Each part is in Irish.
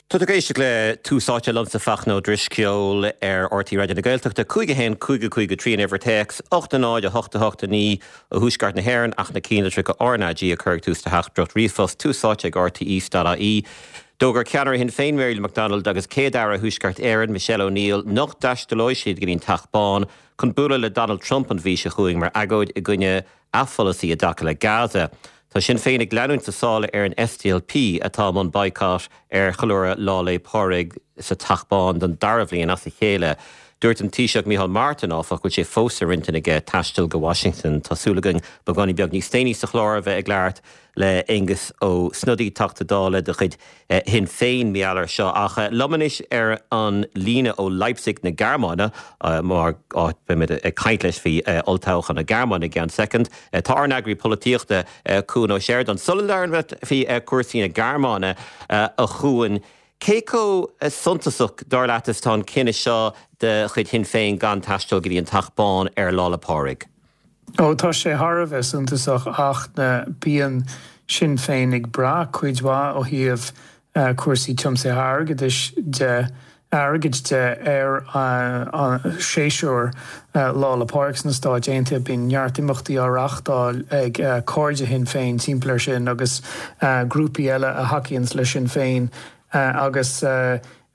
Tá tú ag éisteacht le Tús Áite liomsa Fachtna Ó Drisceoil ar RTÉ Raidió na Gaeltachta, 5 1 5 5 3 an uimhir téacs, 8 0 8 8 9 ó thuaisceart na hÉireann ach na cinnlitreacha RnaG a chur ag tús do theachtaireacht ríomhphost, Tús Áite ag rte.ie. D'fhógair ceannaire Shinn Féin Mary Lou McDonald agus Céad-Aire Thuaisceart Éireann Michelle O'Neill nach dtaistealóidh siad go dtí an Teach Bán chun bualadh le Donald Trump an mhí seo chugainn mar agóid i gcoinne a pholasaí i dtaca le Gaza. Tá Sinn Féin ag leanúint sa sála ar an SDLP atá i mbun baghcat ar cheiliúradh Lá 'le Pádraig sa Teach Bán don dara bhliain as a chéile. Dúirt an Taoiseach Micheál Martin, áfach, go bhfuil sé fós ar intinn aige taisteal go Washington. Tá súil againn beagáinín beag níos déanaí sa chlár a bheith ag labhairt le Aengus Ó Snodaigh, Teachta Dála de chuid Shinn Féin, mar gheall air seo. Ach liom anois ar an líne ó Leipzig na Gearmáine, mar áit beimid ag caint leis faoi olltoghchán na Gearmáine i gceann soicind, tá ár n-eagraí polaitíochta, Cuan Ó Seireadáin. Sula labhraím leat faoi chúrsaí na Gearmáine, a Chuain, cé chomh suntasach, dar leat, is atá an cinneadh seo de chuid Shinn Féin gan taisteal go dtí an Teach Bán ar Lá 'le Pádraig? Ó, tá sé thar a bheith suntasach ach bíonn Sinn Féin ag brath cuid mhaith ó thaobh cúrsaí tiomsaithe airgeadais de, airgid de ar an séasúr Lá 'le Pádraig sna Stáit Aontaithe. Bíonn neart imeachtaí á reáchtáil ag cairde Shinn Féin timpeall air sin agus grúpaí eile a thacaíonns le Sinn Féin agus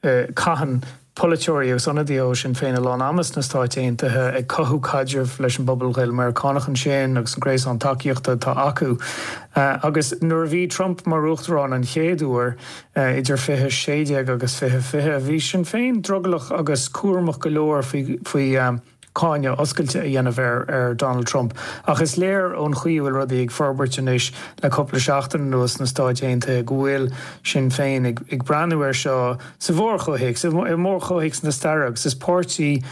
Caitheann polaiteoirí agus ionadaithe ó Shinn Féin a lán ama sna Stáit Aontaithe ag cothú caidrimh leis an bpobal Ghael-Meiriceánach ansin agus an gréasán tacaíochta atá acu. Agus nuair a bhí Trump mar uachtarán an chéad uair, idir 2016 agus 2020, bhí Sinn Féin drogallach agus cúramach go leor faoi cáineadh oscailte a dhéanamh ar Donald Trump. Ach is léir ón chaoi a bhfuil rudaí ag forbairt anois le cúpla seachtain anuas sna Stáit Aontaithe go bhfuil Sinn Féin ag breathnú air seo sa mhórchomhthéacs, i mórchomhthéacs na staire agus is páirtí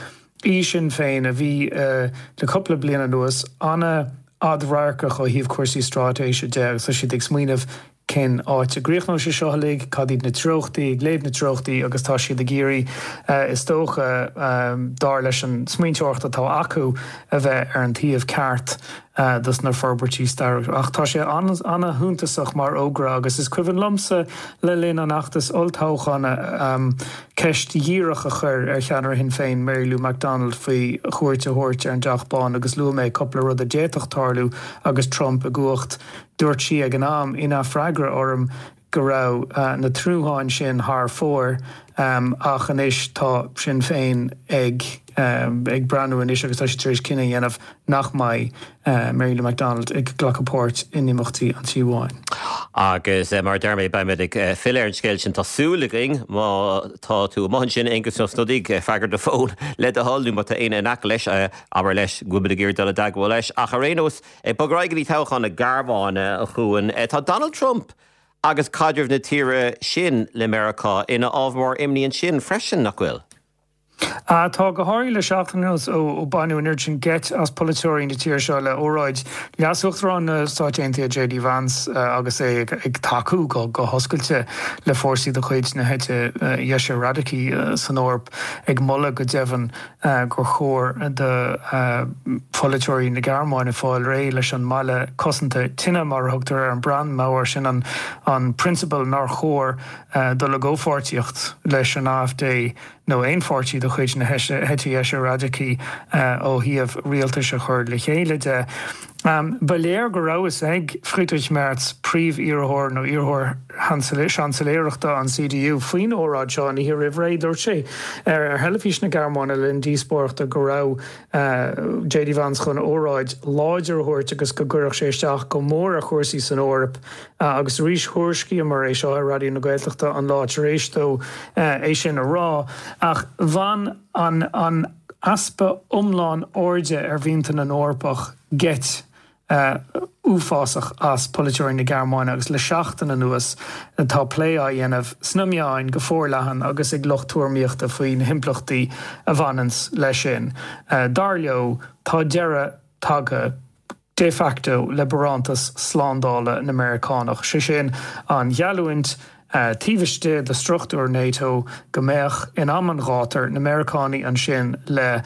í Sinn Féin a bhí le cúpla bliain anuas an-fhadradharcach ó thaobh cúrsaí straitéise de agus tá siad ag smaoineamh cén áit a gcríochnóidh sé seo uilig, cad iad na treochtaí, ag léamh na treochtaí agus tá siad ag iarraidh, is dócha, dar leis an smaointeoireacht atá acu, a bheith ar an taobh ceart dos na forbairtí stairiúla. Ach tá sé an-shuntasach mar fhógra agus is cuimhin liomsa le linn an fheachtais olltoghcháin ceist dhíreach a chur ar cheannaire Shinn Féin, Mary Lou McDonald, faoi chuairt a thabhairt ar an dTeach Bán agus luaigh mé cúpla rud a d'fhéadfadh tarlú agus Trump i gcumhacht. Dúirt sí ag an am, ina freagra orm, go raibh na tnútháin sin thar fóir ach anois tá Sinn Féin ag ag breathnú anois agus tá siad tar éis cinneadh a dhéanamh nach mbeidh Mary Lou McDonald ag glacadh páirt in imeachtaí an Tí Bháin. Agus mar a deir mé, beimid ag filleadh ar an scéal sin, tá súil againn, má tá tú amuigh ansin, Aengus Ó Snodaigh, freagair do fón le do thoil nó má tá éinne in aice leis, abair leis go bhfuil muid ag iarraidh dul i dteagmháil leis. Ach ar aon nós, Ag bogadh ar aghaidh go dtí toghchán na Gearmáine, a Chuain, tá Donald Trump agus caidreamh na tíre sin le Meiriceá ina ábhar mór imní ansin freisin, nach bhfuil? Tá, go háirithe le seachtain anuas ó baineadh an oiread sin geit as polaiteoirí na tíre seo le óráid Leas-Uachtarán na Stáit Aontaithe JD Vance agus é ag tacú go hoscailte le fórsaí de chuid na heite dheise radacaí san Eoraip, ag moladh go deimhin gur chóir do pholaiteoirí na Gearmáine fáil réidh leis an mballa cosanta tine, mar a thugtar ar an Brandmauer, sin an prionsabal nár chóir dul i gcomhpháirtíocht leis an AfD nó aon pháirtí de chuid na heite dheise radacaí ó thaobh rialtais a chur le chéile de. Ba léir go raibh fhios ag Friedrich Merz, príomh-iarrthóir nó iarrthóir seansailéireachta an CDU, faoin óráid seo an oíche roimh ré. Dúirt sé ar theilifís na Gearmáine le linn díospóireachta go raibh JD Vance chun óráid láidir a thabhairt agus go gcuirfeadh sé isteach go mór ar chúrsaí san Eoraip. Agus arís thuairiscíomar é seo ar Raidió na Gaeltachta an lá tar éis dó é sin a rá. Ach bhain an easpa iomlán airde ar mhianta na nEorpach geit uafásach as polaiteoirí na Gearmáine agus le seachtain anuas tá plé á dhéanamh sna meáin go forleathan agus ag lucht tuairimíochta faoi na himpleachtaí a bhaineanns leis sin. Dar leo, tá deireadh tagtha de facto le barántas slándála na Meiriceánach, sé sin an gheallúint. taobh istigh de struchtúr NATO, go mbeadh, in am an ghátair, na Meiriceánaigh ansin le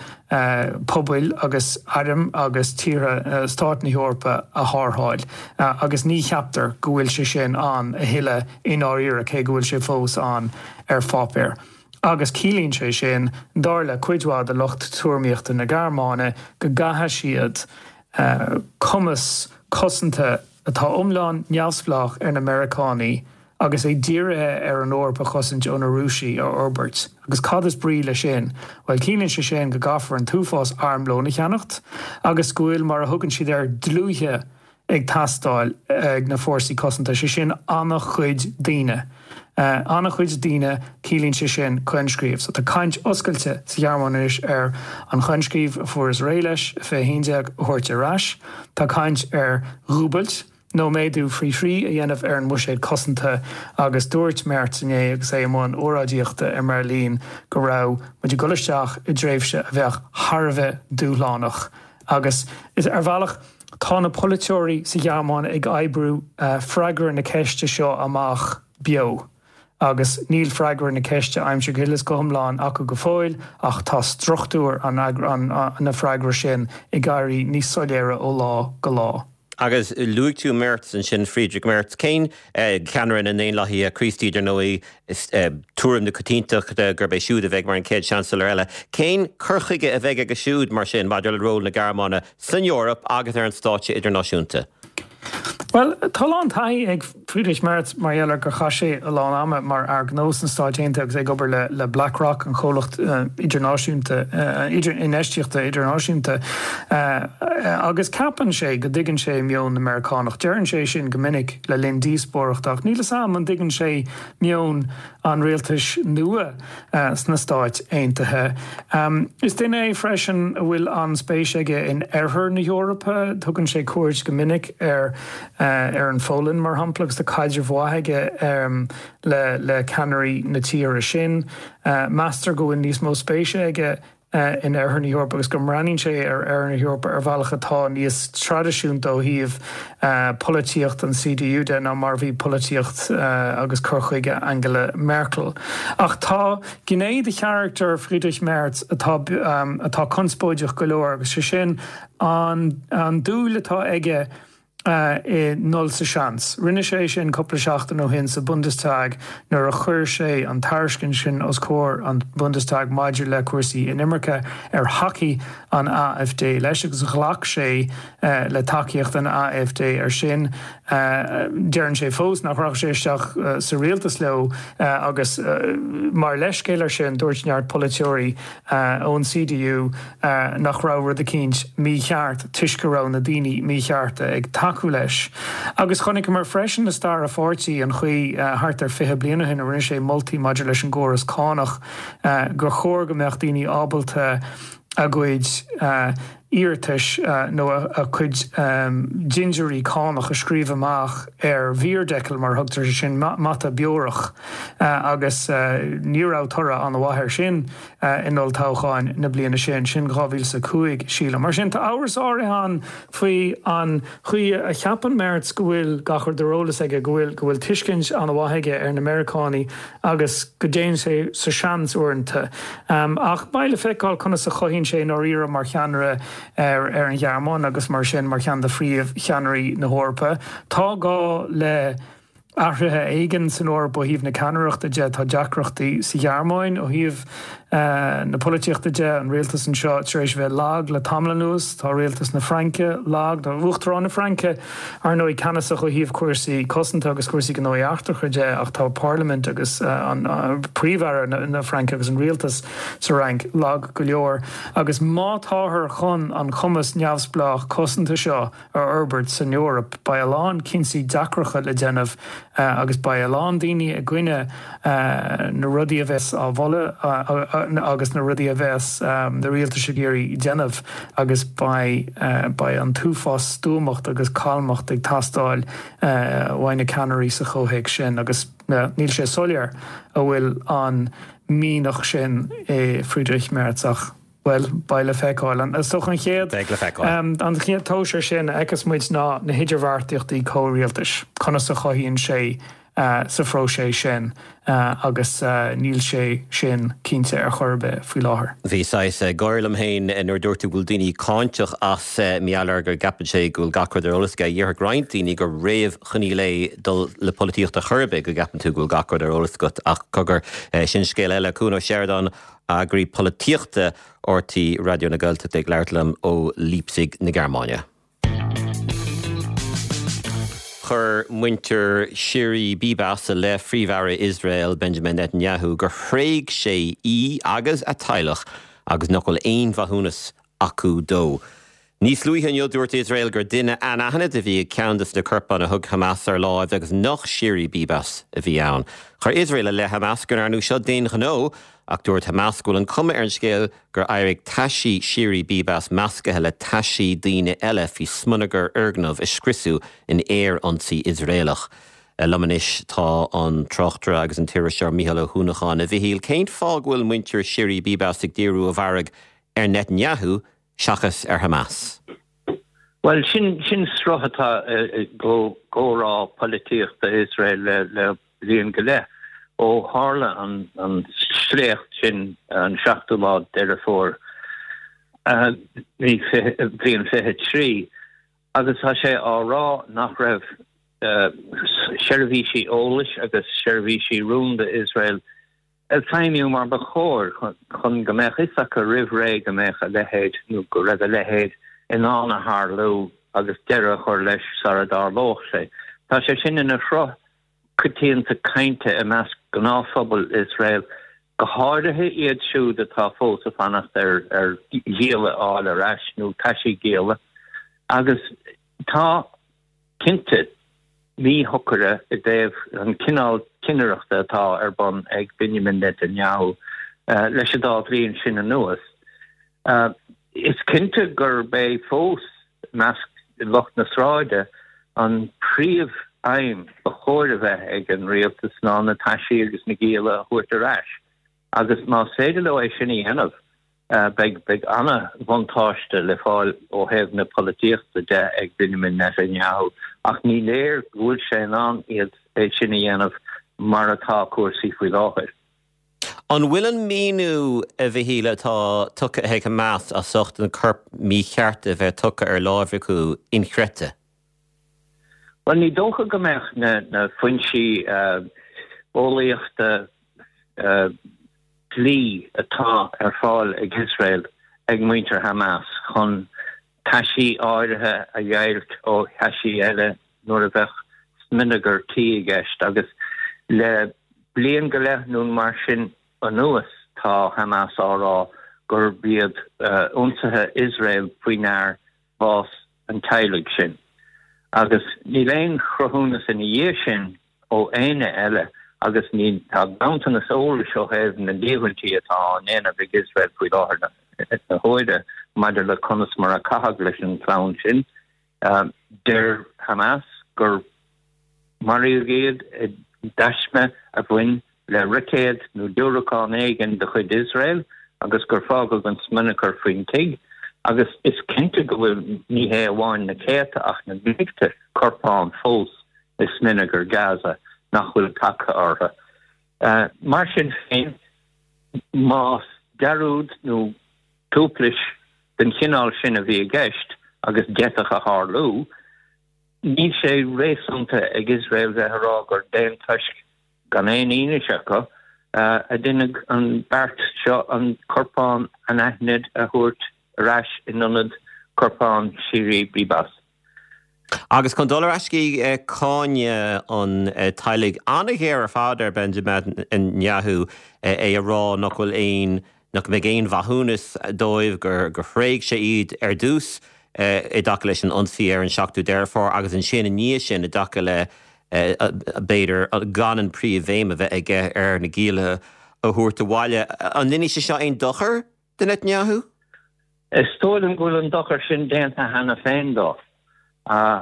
pobail agus airm agus tíortha, stáit na hEorpa a tharrtháil. Agus ní cheaptar go bhfuil sé sin ann a thuilleadh i ndáiríre, cé go bhfuil sé fós ann ar pháipéar. Agus ciallaíonn sé sin, dar le cuid mhaith de lucht tuairimíochta na Gearmáine, go gcaithfidh siad cumas cosanta atá iomlán neamhspleách ar na Meiriceánaigh agus é dírithe ar an Eoraip a chosaint ó na Rúisigh a fhorbairt. Agus cad is brí leis sin? Bhuel, ciallaíonn sé sin go gcaithfear an t-uafás armlóin a cheannacht agus go bhfuil, mar a thugann siad air, dlúithe ag teastáil ag na fórsaí cosanta, sé sin an-chuid daoine. An-chuid daoine, ciallaíonn sé sin coinscríobh. So tá caint oscailte sa Ghearmáin anois ar an choinscríobh a fuarthas réidh leis i 2011 a thabhairt ar ais. Tá caint ar dhúbailt nó méadú faoi thrí a dhéanamh ar an mbuiséad cosanta agus dúirt Merz inné agus é i mbun óráidíochta i mBeirlín go raibh muid ag dul isteach i dtréimhse a bheadh thar a bheith dúshlánach agus ar bhealach Tá na polaiteoirí sa Ghearmáin ag oibriú freagra na ceiste seo amach beo agus níl freagra na ceiste aimsithe go huile is go hiomlán acu go fóill ach tá struchtúr an na freagra sin ag éirí níos soiléire ó lá go lá. Agus luaigh tú Merz ansin, Friedrich Merz. Cén ceannaire na nDaonlathaithe Críostaí, dar ndóigh, Is tuairim na coitiantachta gurb é siúd a bheidh mar an chéad Seansailéir eile. Cén cur chuige a bheidh aige siúd, mar sin, maidir le ról na Gearmáine san Eoraip agus ar an stáitse idirnáisiúnta? Bhuel, tá a lán taithí ag Friedrich Merz mar gheall ar gur chaith sé a lán ama mar fhear gnó sna Stáit Aontaithe agus é ag obair le BlackRock, an chomhlacht idirnáisiúnta, infheistíochta idirnáisiúnta, agus ceapann sé go dtuigeann sé meon na Meiriceánach. Deireann sé sin go minic. le linn díospóireachta, ach níl 'fhios a'm an dtuigeann sé meon an rialtais nua sna Stáit Aontaithe. Is duine é freisin a bhfuil an-spéis aige in oirthear na hEorpa. Tugann sé cuairt go minic ar ar an Pholainn, mar shampla, agus tá caidreamh mhaith aige le le ceannairí na tíre sin. Meastar go bhfuil níos mó spéise aige in Oirthear na hEorpa agus go mbreathnaíonn sé ar Oirthear na hEorpa ar bhealach atá níos traidisiúnta ó thaobh polaitíocht an CDU de ná mar a bhí polaitíocht agus cur chuige Angela Merkel. Ach tá gné de charachtar Friedrich Merz atá atá conspóideach go leor agus sé sin an an dúil atá aige i ndul sa seans. Rinne sé sin cúpla seachtain ó shin sa Bundestag nuair a chuir sé an tairiscint sin os comhair an Bundestag maidir le cúrsaí inimirce ar thacaigh an AfD leis agus ghlac sé le tacaíocht an AfD ar sin. Deireann sé fós nach rachaidh sé isteach sa rialtas leo agus mar leithscéal ar sin dúirt neart polaiteoirí ón CDU nach raibh rud eicínt mícheart toisc go raibh na daoine míchearta ag tacú leis. Agus chonaiceamar freisin i stair a pháirtí an chaoi thart ar 20 bliain ó shin a rinne sé moltaí maidir leis an gcóras cánach gur chóir go mbeadh daoine ábalta a gcuid iarratais nó a cuid dintiúirí cánach a scríobh amach ar Bierdeckel, mar a thugtar air sin, mata beorach, agus ní raibh toradh an-mhaith air sin in olltoghcháin na bliana sin, sin 2005, sílim. Mar sin, tá amhras áirithe ann faoi an chaoi a cheapann Merz go bhfuil gach rud ar eolas aige, go bhfuil go bhfuil tuiscint an-mhaith aige ar na Meiriceánaigh agus go dtéann sé sa seans uaireanta. Ach beidh le feiceáil conas a chothaíonn sé i ndáiríre mar cheannaire ar ar an Ghearmáin agus mar sin mar cheann de phríomhcheannairí na hEorpa. Tá gá le athruithe éigin san Eoraip ó thaobh na ceannaireachta de. Tá deacrachtaí sa Ghearmáin ó thaobh na polaitíochta de, an rialtas anseo tar éis a bheith lag le tamall anuas. Tá rialtas na Fraince lag. Tá Uachtarán na Fraince, ar ndóigh, ceannasach ó thaobh cúrsaí cosanta agus cúrsaí gnóthaí eachtracha de ach tá parlaimint agus an Príomh-Aire na Fraince agus an rialtas sa Fhrainc lag go leor. Agus má táthar chun an cumas neamhspleách cosanta seo a fhorbairt san Eoraip. Beidh a lán cinntí deacracha le déanamh agus beidh a lán daoine i gcoinne na rudaí a bheas á mholadh agus na rudaí a bheas na rialtais ag iarraidh déanamh agus beidh beidh an t-uafás stuamacht agus calmacht ag teastáil uaidh na ceannairí sa chomhthéacs sin agus níl sé soiléir an bhfuil an mianach sin i Friedrich Merz ach Bhuel, beidh le feiceáil. Is dócha an chéad, Beidh le feiceáil. an chéad tomhas ar sin a fheicfeas muid ná na hidirbheartaíochtaí comhrialtais, conas a chothaíonn sé. sa phróiseas sin agus níl sé sin cinnte ar chor ar bith faoi láthair. Bhí saghas gáire liom féin nuair a dúirt tú go bhfuil daoine cáinteach as mar gheall ar go gceapann sé go bhfuil gach rud ar eolas aige. Déarfadh roinnt daoine gur réamhchoinníoll é dul le polaitíocht ar chor ar bith go gceapann tú go bhfuil gach rud ar eolas agat ach cogar, sin scéal eile. Cuan Ó Seireadáin, Eagraí Polaitíochta RTÉ Raidió na Gaeltachta ag labhairt liom ó Leipzig na Gearmáine. Chuir muintir Shiri Bibas i leith Phríomh-Aire Iosrael Benjamin Netanyahu gur thréig sé í agus a teaghlach agus nach bhfuil aon mhaithiúnas acu dó. Níos luaithe inniu dúirt Iosrael gur duine anaithnid a bhí ag ceann de na corpáin a thug Hamas ar láimh agus nach Shiri Bibas a bhí ann. Chuir Iosrael i leith Hamas go ndearnadh seo d'aon ghnó ach dúirt Hamas go bhfuil an cuma ar an scéal gur éirigh taisí Shiri Bibas meascaithe le taisí daoine eile faoi smionagar fhoirgneamh a scriosadh in aer-ionsaí Iosraelach. Liom anois tá an tráchtaire agus an t-iriseoir Mícheál Ó hUanacháin. A Mhichíl, cén fáth go bhfuil muintir Shiri Bibas ag díriú a bhfearg ar Netanyahu seachas ar Hamas? Bhuel, sin sin sruth atá i gcomhrá polaitíochta Iosrael le bliain go leith ó tharla an sléacht sin an seachtú lá Deireadh Fómhair, bliain 23, agus tá sé á rá nach raibh seirbhísí eolais agus seirbhísí rúnda Iosrael ag feidhmiú mar ba chóir chun go mbeadh fhios acu roimh ré go mbeadh a leithéid nó go raibh a leithéid i ndán a tharlú agus deireadh a chur leis sara dtarlódh sé. Tá sé sin ina shruth coitianta cainte i measc gnáthphobal Iosrael, go háirithe iad siúd atá fós ag fanacht ar ar ghialla a fháil ar ais nó taisí gialla agus tá cinnte, míshocaire i dtaobh an cineál cinnireachta atá ar bun ag Benjamin Netanyahu leis an dá bhliain sin anuas. Is cinnte gurb é fós, i measc lucht na sráide, an príomh-aidhm ba chóir a bheith ag an rialtas ná na taisí agus na gialla a thabhairt ar ais. Agus más féidir leo é sin a dhéanamh, beidh beidh an-bhuntáiste le fáil ó thaobh na polaitíochta de ag Benjamin Netanyahu, ach ní léir go bhfuil sé in ann iad é sin a dhéanamh mar atá cúrsaí faoi láthair. An bhfuil an míniú, a Mhichíl, atá tugtha ag Hamas as ucht an corp mícheart a bheith tugtha ar láimh acu inchreidte? Bhuel, ní dócha go mbeadh na foinsí eolaíochta dlí atá ar fáil ag Iosrael ag muintir Hamas chun taisí áirithe a dheighilt ó thaisí eile nuair a bheadh smionagar tí i gceist agus le bliain go leith nó mar sin anuas tá Hamas á rá gurb iad ionsaithe Iosrael faoi ndear bás an teaghlaigh sin. Agus níl aon chruthúnas ina dhiaidh sin ó éinne eile agus ní tá ganntanas eolais ó thaobh na líomhaintí atá á ndéanamh ag Iosrael faoi láthair na huaire maidir le conas mar a caitheadh leis an chlann sin. Deir Hamas gur maraíodh iad i dtaisme a bhain le roicéad nó diúracán éigin de chuid Iosrael agus gur fágadh an smionagar faoin tigh agus is cinnte go bhfuil ní hé amháin na céadta ach na mílte corpán fós i smionagar Gaza nach bhfuil tagtha orthu. Mar sin féin, más dearúd nó tuaiplis den chineál sin a bhí i gceist, agus d'fhéadfadh a tharlú, níl sé réasúnta ag Iosrael bheith a rá gur d'aon toisc gan aon fhianaise acu, a deineadh an beart seo an corpán anaithnid a thabhairt ar ais in ionad corpán Shiri Bibas. Agus chun dul ar ais go dtí cáineadh an teaghlaigh an-ghéar ar fad ar Benjamin Netanyahu, é a rá nach bhfuil aon nach mbeidh aon mhaithiúnas dóibh, gur thréig sé iad ar dtús i dtaca leis an ionsaí ar an 7ú Deireadh Fómhair agus ansin i ndiaidh sin i dtaca le b'fhéidir gan an príomhbhéim a bheith aige ar na gialla a thabhairt abhaile. An ndéanfaidh sé seo aon dochar do Netanyahu? Is dóigh liom go bhfuil an dochar sin déanta cheana féin dó.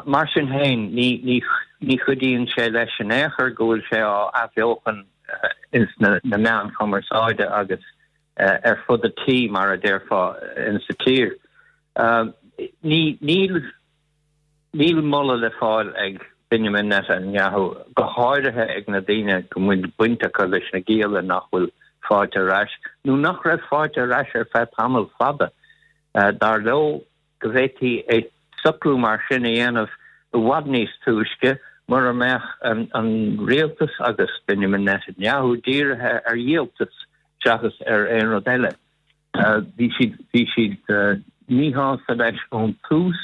Mar sin féin, ní chuidíonn sé leis in aon chor go bhfuil sé á athbheochan ins na meáin chumarsáide agus ar fud an tí, mar a déarfá, insa tír. Níl moladh le fáil ag. Benjamin Netanyahu, go háirithe ag na daoine go bhfuil baint acu leis na gialla nach bhfuil faighte ar ais, nó nach raibh faighte ar ais ar feadh tamall fada. Dar leo go bhféadfaí é socrú mar sin a dhéanamh i bhfad níos túisce mura mbeadh an rialtas agus Benjamin Netanyahu dírithe ar dhíoltas seachas ar aon rud eile. Bhí siad bhí siad míshásta leis ón tús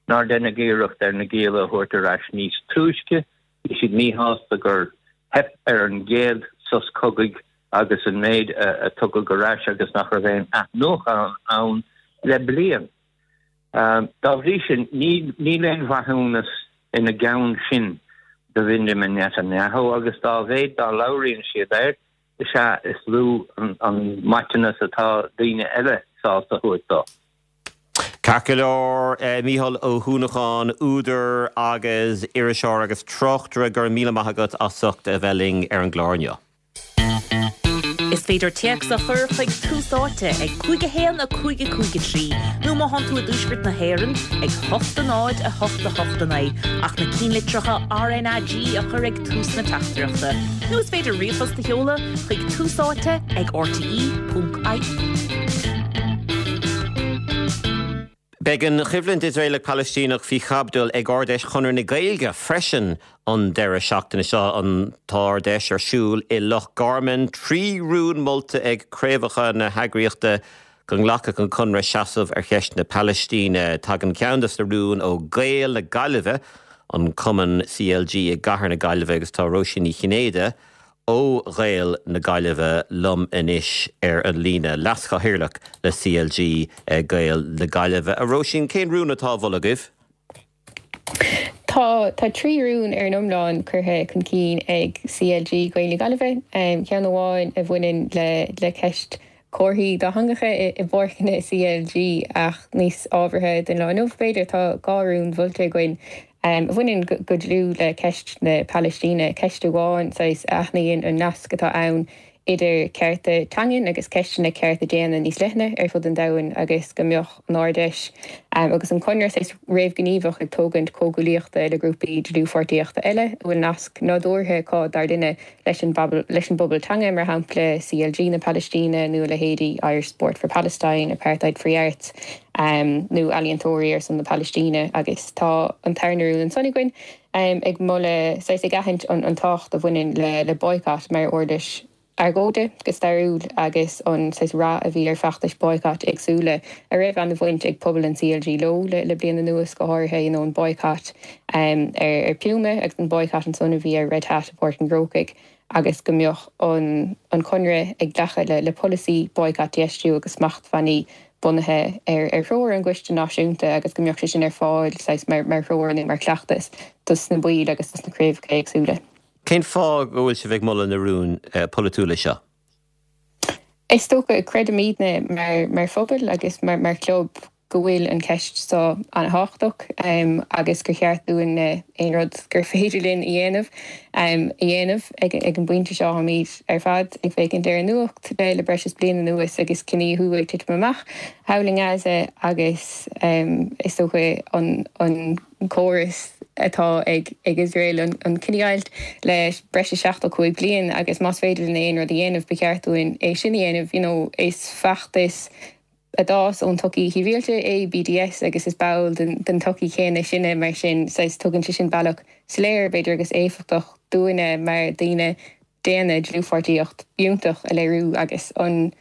nár deineadh iarracht ar na gialla a thabhairt ar ais níos túisce. Bhí siad míshásta gur theip ar an gcéad sos cogaidh agus an méid a tugadh ar ais agus nach raibh aon athnuachan ann le bliain. Dá bhrí sin, níl aon mhaithiúnas ina gceann sin do Bhenjamin Netanyahu agus dá mhéad dá labhraíonn siad air, is ea is lú an maiteanas atá daoine eile sásta a thabhairt dó. Ceart go leor, Mícheál Ó hUanacháin, údar agus iriseoir agus tráchtaire, go raibh míle maith agat as ucht a bheith linn ar an gclár inniu. Is féidir téacs a chur chuig Tús Áite ag 5 1 5 5 3 nó má thánn tú i dTuaisceart na hÉireann ag 8 0 8 8 9 ach na cinnlitreacha RnaG a chur ag tús na teachtaireachta. Nó is féidir ríomhphost a sheoladh chuig Tús Áite ag rte.ie. Beidh an choimhlint Iosraelach-Palaistíneach faoi chaibidil ag Ard-Fheis Chonradh na Gaeilge freisin an deireadh seachtaine seo. An tArd-Fheis ar siúl i Loch Garman. 3 rún molta ag craobhacha na heagraíochta go nglacfadh an Conradh seasamh ar cheist na Palaistíne. Tagann ceann de na rúin ó Gaeil na Gaillimhe, an cumann CLG i gcathair na Gaillimhe agus tá Róisín Ní Chinnéide ó Ghaeil na Gaillimhe liom anois ar an líne, Leas-Chathaoirleach le CLG Gaeil na Gaillimhe. A Róisín, cén rún atá á mholadh agaibh? Tá, tá 3 rún ar an iomlán curtha chun cinn ag CLG Gaeil na Gaillimhe, ceann amháin a bhaineann le le ceist comharthaí dátheangacha i bpáirceanna CLG ach níos ábhartha don lá inniu b'fhéidir, tá 2 rún mholta againn a bhaineann go dlúth le ceist na Palaistíne, ceist amháin saghas a aithníonn an nasc atá ann idir cearta teangan agus ceisteanna cearta daonna níos leithne ar fud an domhain agus go mbeadh an Ard-Fheis agus an Conradh saghas réamhghníomhach ag tógaint comhghuaillíochta le grúpaí dlúthpháirtíochta eile a bhfuil nasc nádúrtha acu dar linne leis an leis an bpobal teanga, mar shampla CLG na Palaistíne nó a leithéidí Irish Sport for Palestine, Apartheid Free Arts nó Ealaíontóirí ar son na Palaistíne agus tá an tarna rún ansan againn ag moladh, saghas ag aithint an tábhacht a bhaineann le le boycott mar uirlis argóide go stairiúil agus an saghas rath a bhí ar feachtais boycott éagsúla a raibh an-bhaint ag pobal an CLG leo le bliain anuas, go háirithe you know an boycott ar Puma agus an boycott ansan a bhí ar Red Hat i bPáirc an Chrócaigh agus go mbeadh an an Conradh ag glacadh le le polasaí boycott, divestiú agus smachtbhannaí bunaithe ar ar threoir an gCoiste Náisiúnta agus go mbeadh sé sin ar fáil saghas mar mar threoir nó mar chleachtas dos na baill agus dos na craobhacha éagsúla. Cén fáth go bhfuil sibh ag moladh na rúin polaitiúla seo? Is dócha, creidimidne mar phobal agus mar chlub go bhfuil an cheist seo an-thábhachtach agus gur cheart dúinn aon rud gur féidir linn a dhéanamh a dhéanamh. Ag an bpointe seo táimid ar fad ag féachaint ar an nuacht le breis is bliain anuas agus cinedhíothú ag titim amach thall i nGaza agus is dócha an córas atá ag Iosrael an chinedheighilt le breis is 75 bliain agus más féidir linn aon rud a dhéanamh ba cheart dúinn é sin a dhéanamh. You know is feachtas a d'fhás ón tsochaí shibhialta é BDS agus is ball den tsochaí chéanna sinne mar sin saghas tugann sé sin bealach soiléir b'fhéidir agus éifeachtach dúinne mar daoine daonna dlúthpháirtíocht fhiúntach a léiriú agus an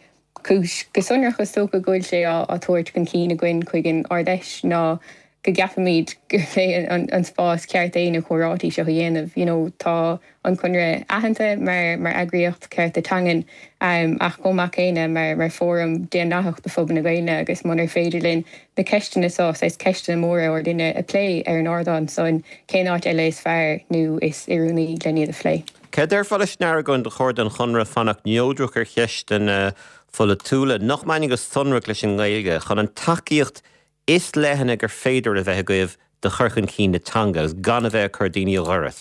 chúis go sonrach is dócha go bhfuil sé á tabhairt chun cinn againn chuig an Ard-Fheis ná go gceapaimid gurb é an spás ceart é na comhráití seo a dhéanamh. You know tá an Conradh aitheanta mar mar eagraíocht cearta teangan ach chomh maith céanna mar mar fóram daonlathach do phobal na Gaeilge agus munar féidir linn na ceisteanna seo, saghas ceisteanna móra ár linne a phlé ar an ardán san, cén áit eile is fearr nó is oiriúnaí len iad a phlé? Cé a déarfá leis an argóint gur chóir don Chonradh fanacht neodrach ar cheisteanna pholaitiúla nach mbaineann go sonrach leis an nGaeilge chun an tacaíocht is leithne gur féidir a bheith agaibh do chur chun cinn na teanga agus gan a bheith ag cur daoine ó dhoras?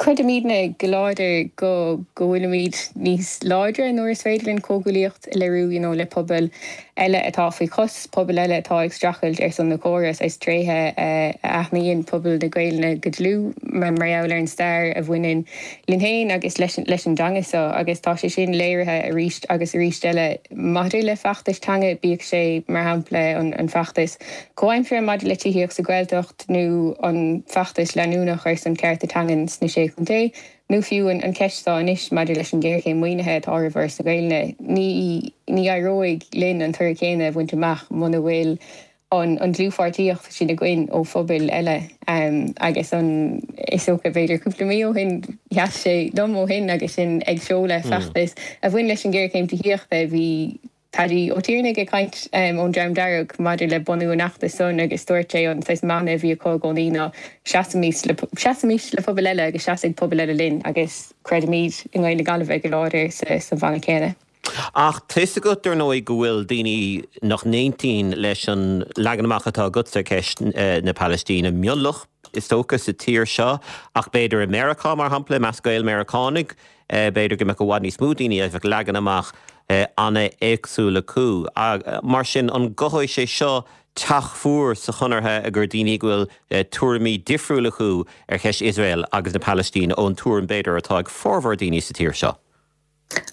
Creidimidne go láidir go go bhfuilimid níos láidre nuair is féidir linn comhghuaillíocht a léiriú you know le pobail. eile atá faoi chos, pobail eile atá ag streachailt ar son na córa, saghas tréithe a aithníonn pobal na Gaelainne go dlúth mar gheall ar an stair a bhaineann linn féin agus leis an dteanga seo agus tá sé sin léirithe arís agus arís eile maidir le feachtais teanga, bíodh sé mar shampla an feachtas comhaimseartha maidir le tithíocht sa Ghaeltacht nó an feachtas leanúnach ar son cearta teangan sna Sé Chontae. Nó fiú an cheist atá anois maidir leis an ghéarchéim maoinithe atá roimh Fhoras na Gaelainne, ní ní éireoidh linn an toradh céanna a bhaint amach muna bhfuil an an dlúthpháirtíocht sin againn ó phobail eile. Agus an is dócha b'fhéidir cúpla mí ó shin, sheas sé liom ó shin agus sinn ag seoladh feachtas a bhain leis an ghéarchéim tithíochta, bhí Paddy Ó Tiarnaigh ag caint ón Dream Dearg maidir le bunú an fheachtais san agus dúirt sé an saghas mana a bhí acu i gcónaí ná seasaimis le seasaimis le pobail eile agus seasfaidh pobail eile linn agus creidimid i nGaeil na Gaillimhe go láidir sa sa mhana céanna. Ach tá fhios agat, dar ndóigh, go bhfuil daoine nach n-aontaíonn leis an leagan amach atá agatsa ar cheist na Palaistíne, mionlach, is dócha, sa tír seo, ach b'fhéidir i Meiriceá, mar shampla, i measc Gael-Mheiriceánaigh, B'fhéidir go mbeadh i bhfad níos mó daoine a bheadh leagan amach an-éagsúil acu. Mar sin, an gcothóidh sé seo teach fuar sa Chonartha gur daoine go bhfuil tuairimí difriúla acu ar cheist Iosrael agus na Palaistíne ón tuairim, b'fhéidir, atá ag formhór daoine sa tír seo?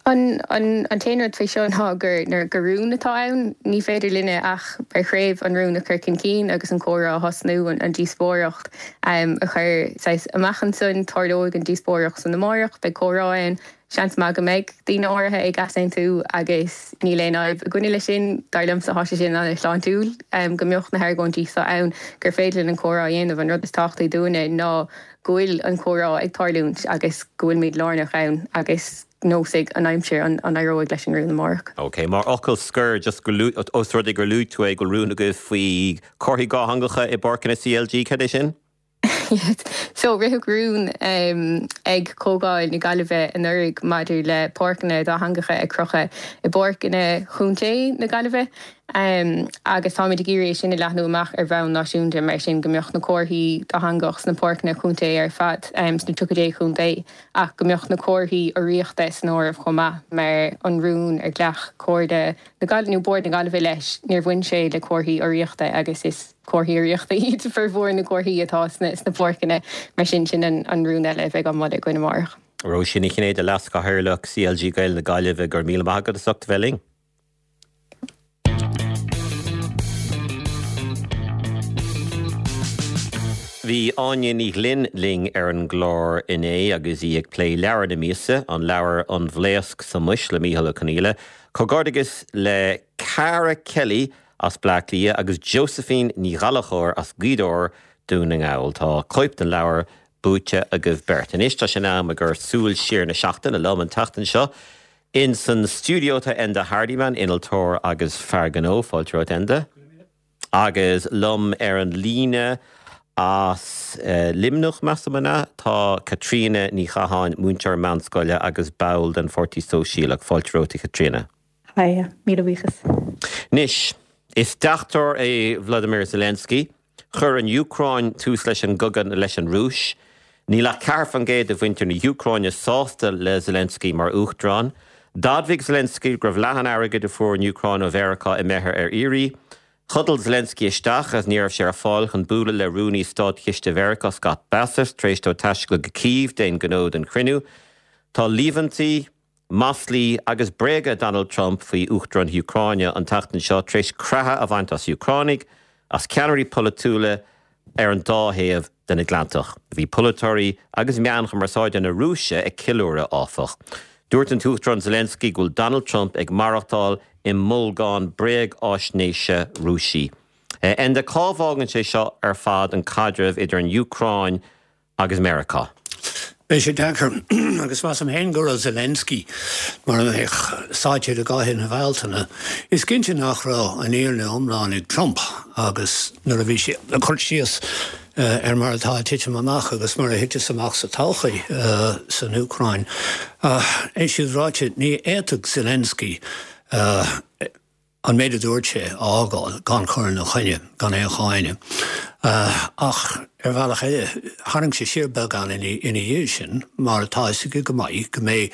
An t-aon rud faoi seo ná gur gur rún atá ann. Ní féidir linne ach mar chraobh an rún a chur chun cinn agus an comhrá a thosnú, an díospóireacht a chur saghas amach ansan. Tarlóidh an díospóireacht san amárach, beidh comhrá ann. Seans maith go mbeidh daoine áirithe ag easaontú agus níl aon fhadhb againne leis sin. Dar liomsa tá sé sin an-shláintiúil go mbeadh na hargóintí seo ann gur féidir linn an comhrá a dhéanamh. An rud is tábhachtaí dúinne ná go bhfuil an comhrá ag tarlúint agus go bhfuilimid lárnach ann agus neosfaidh an aimsir an éireoidh leis an rún amárach. Ok, mar fhocal scoir, just go, os rud é gur luaigh tú é, go bhfuil rún agaibh faoi chomharthaí dhátheangacha i bpáirceanna CLG, cad é sin? So, ritheadh rún ag Comhdháil na Gaillimhe anuraidh maidir le páirceanna dátheangacha a chrochadh i bpáirceanna Chontae na Gaillimhe agus táimid ag iarraidh é sin a leathnú amach ar bhonn náisiúnta mar sin go mbeadh na comharthaí dátheangach sna páirceanna contae ar fad sna 30 chontae ach go mbeadh na comharthaí urraíochta san áireamh chomh maith mar an rún ar ghlac Comhairle na Gaillimhe nó Bord na Gaillimhe leis níor bhain sé le comharthaí urraíochta agus is comharthaí urraíochta iad formhór na gcomharthaí atá sna páirceanna mar sin sin an rún eile a bheidh á mholadh againn amárach. Róisín Ní Chinnéide, Leas-Chathaoirleach CLG Gaeil na Gaillimhe, go raibh míle maith agat as ucht a bheith linn. Bhí Áine Ní Ghlinn linn ar an gclár inné agus í ag plé leabhar na míosa, an leabhar An Bhlaosc sa Mhuis le Mícheál Ó Conghaile. Comhghairdeachas le Cara Kelly as Bleá Cliath agus Josephine Ní Ghallchóir as Gaoth Dobhair, Dún na nGall. Tá cóip den leabhar buaite agaibh beirt. Anois tá sé in am ag Súil Siar na Seachtaine liom an tseachtain seo. In san stiúideo tá Enda Hardiman, innealtóir agus fear gnó. Fáilte romhat Enda. Agus liom ar an líne as Luimneach, measaim, an ea? Tá Caitríona Ní Chatháin, múinteoir meánscoile agus ball den Pháirtí Sóisialach. Fáilte romhat a Chaitríona. Haigh, míle buíochas. Anois, is deachtóir é Vladimir Zelensky. Chuir an Úcráin tús leis an gcogadh leis an Rúis. Níl ach 4% de mhuintir na hÚcráine sásta le Zelensky mar uachtarán. D'admhaigh Zelensky go raibh leath an airgid a fuair an Úcráin ó Mheiriceá imithe ar iarraidh. Chodail Zelensky isteach agus ní raibh sé ar fáil chun bualadh le Rúnaí Státchiste Mheiriceá Scott Bessent tar éis dó taisteal go Cív d'aon ghnó don chruinniú. Tá líomhaintí. Maslaí agus bréaga Donald Trump faoi Uachtarán na hÚcráine an tseachtain seo tar éis creathadh a bhaint as Úcránaigh, as ceannairí polaitiúla ar an dá thaobh den Atlantach. Bhí polaiteoirí agus meáin chumarsáide na Rúise ag ceiliúradh, áfach. Dúirt an tUachtarán Zelensky go bhfuil Donald Trump ag maireachtáil i mbolgán bréagaisnéise Rúisí. Enda, cá bhfágann sé seo ar fad an caidreamh idir an Úcráin agus Meiriceá. Beidh sé deacair, agus measaim féin go raibh Zelensky mar a bheadh sáite i gcathaoir na Bealtaine. Is cinnte nach raibh an fhírinne iomlán ag Trump agus nuair a bhí sé ag cur síos ar mar atá ag titim amach agus mar a thiteas amach sa todhchaí san Úcráin. É sin ráite, ní fhéadfadh Zelensky an méid a dúirt sé a fhágáil gan chur ina choinne, gan aon cháineadh. Ach ar bhealach eile, tharraing sé siar beagán ina dhiaidh sin mar tá a fhios aige go maith go mbeidh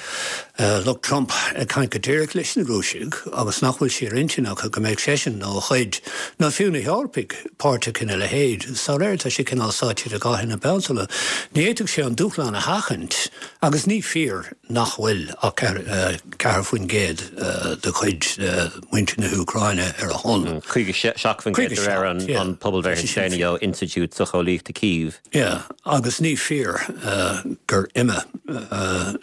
lucht Trump ag caint go díreach leis na Rúisigh agus nach bhfuil sé ar intinn acu go mbeadh seisean nó a chuid, nó fiú na hEorpaigh, páirteach ina leithéid. Dá réir, tá sé cineál sáite idir dhá thine Bealtaine. Ní fhéadfadh sé an dúshlán a sheachaint agus ní fíor nach bhfuil ach 4% de chuid muintir na hÚcráine ar a shon. 57% de réir an pobalbhreith is déanaí ó Institiúid Socheolaíochta Kyiv. Yeah, agus ní fíor gur imigh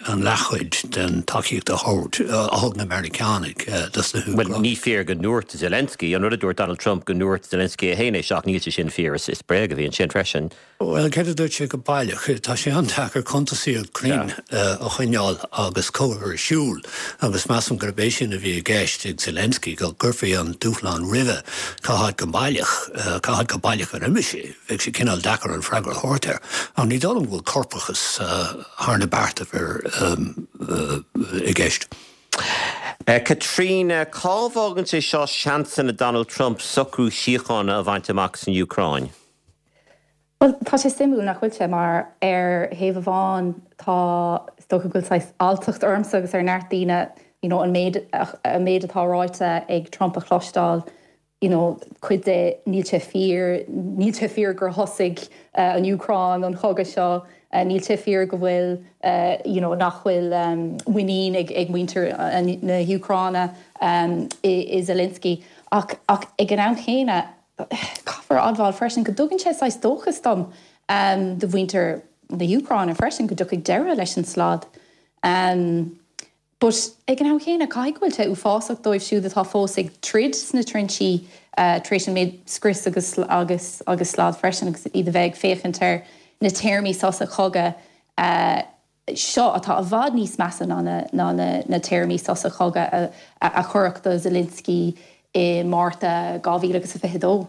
an leathchuid den tacaíocht a thug na Meiriceánaigh dos na hÚcránaigh. Bhuel, ní fíor go ndúirt Zelensky, an rud a dúirt Donald Trump go ndúirt Zelensky é féin é seo, ach níl sé sin fíor, is bréag a bhí ansin freisin. Bhuel, céard a dúirt sé go baileach? Tá sé an-deacair cuntasaíocht cruinn a choinneáil agus cogadh ar siúl agus measaim gurb é sin a bhí i gceist ag Zelensky, go gcuirfí an dúshlán roimhe cá háit go baileach, cá háit go baileach ar imigh sé. Bheadh sé cineál deacair an freagra a thabhairt air. Ach ní dóigh liom go bhfuil corpachas thar na beartaibh i gceist. Caitríona, cá bhfágann sé seo seansanna Donald Trump socrú síochána a bhaint amach san Úcráin? Bhuel, tá sé suimiúil, nach bhfuil sé, mar ar thaobh amháin tá, is dócha go bhfuil saghas alltacht ormsa agus ar neart daoine, you know, an méid, an méid atá ráite ag Trump a chloisteáil, you know, cuid de, níl sé fíor, níl sé fíor gur thosaigh an Úcráin an chogadh seo, níl sé fíor go bhfuil, you know, nach bhfuil muinín ag, ag muintir na hÚcráine i Zelensky. Ach, ach ag an am chéanna, Caithfear a admháil freisin go dtugann sé saghas dóchas dom, do mhuintir na hÚcráine freisin, go dtiocfaidh deireadh leis an slad. But ag an am chéanna, caithfidh go bhfuil sé uafásach dóibh siúd atá fós ag troid sna trinsí tar éis an méid scrios agus agus agus slad freisin agus iad a bheith ag féachaint ar na téarmaí sosa cogaidh seo atá i bhfad níos measa ná na téarmaí sosa cogaidh a cuireadh do Zelensky i Márta 2022.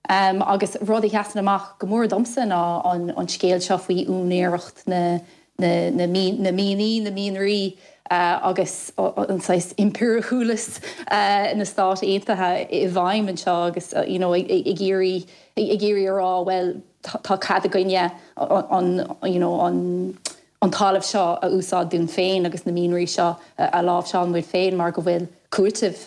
Agus rud a sheasann amach go mór domsa ná an scéal seo faoi úinéireacht na mianaí, na mianraí agus an saghas impiriúlachas na Stát Aontaithe i bhfeidhm anseo agus you know ag iarraidh ag iarraidh a rá bhuel tá cead againne an you know an an talamh seo a úsáid dúinn féin agus na mianraí seo a láimhseáil muid féin mar go bhfuil cúiteamh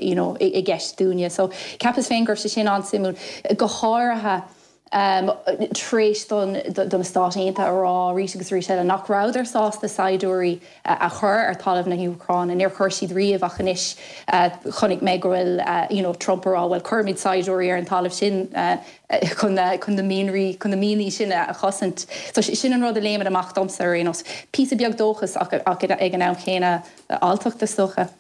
you know i gceist dúinne. So cheapas féin go raibh sé sin an-suimiúil, go háirithe tar éis don do na Stáit Aontaithe a rá arís agus arís eile nach rabhadar sásta saighdiúirí a chur ar talamh na hÚcráine. Níor chuir siad riamh ach anois chonaic mé go bhfuil you know Trump ag rá bhuel cuirfimid saighdiúirí ar an talamh sin chun chun na mianraí, chun na mianaí sin a chosaint. So sin an rud a léimeann amach domsa ar aon nós. Píosa beag dóchais ach ach ag an am chéanna alltacht is dócha.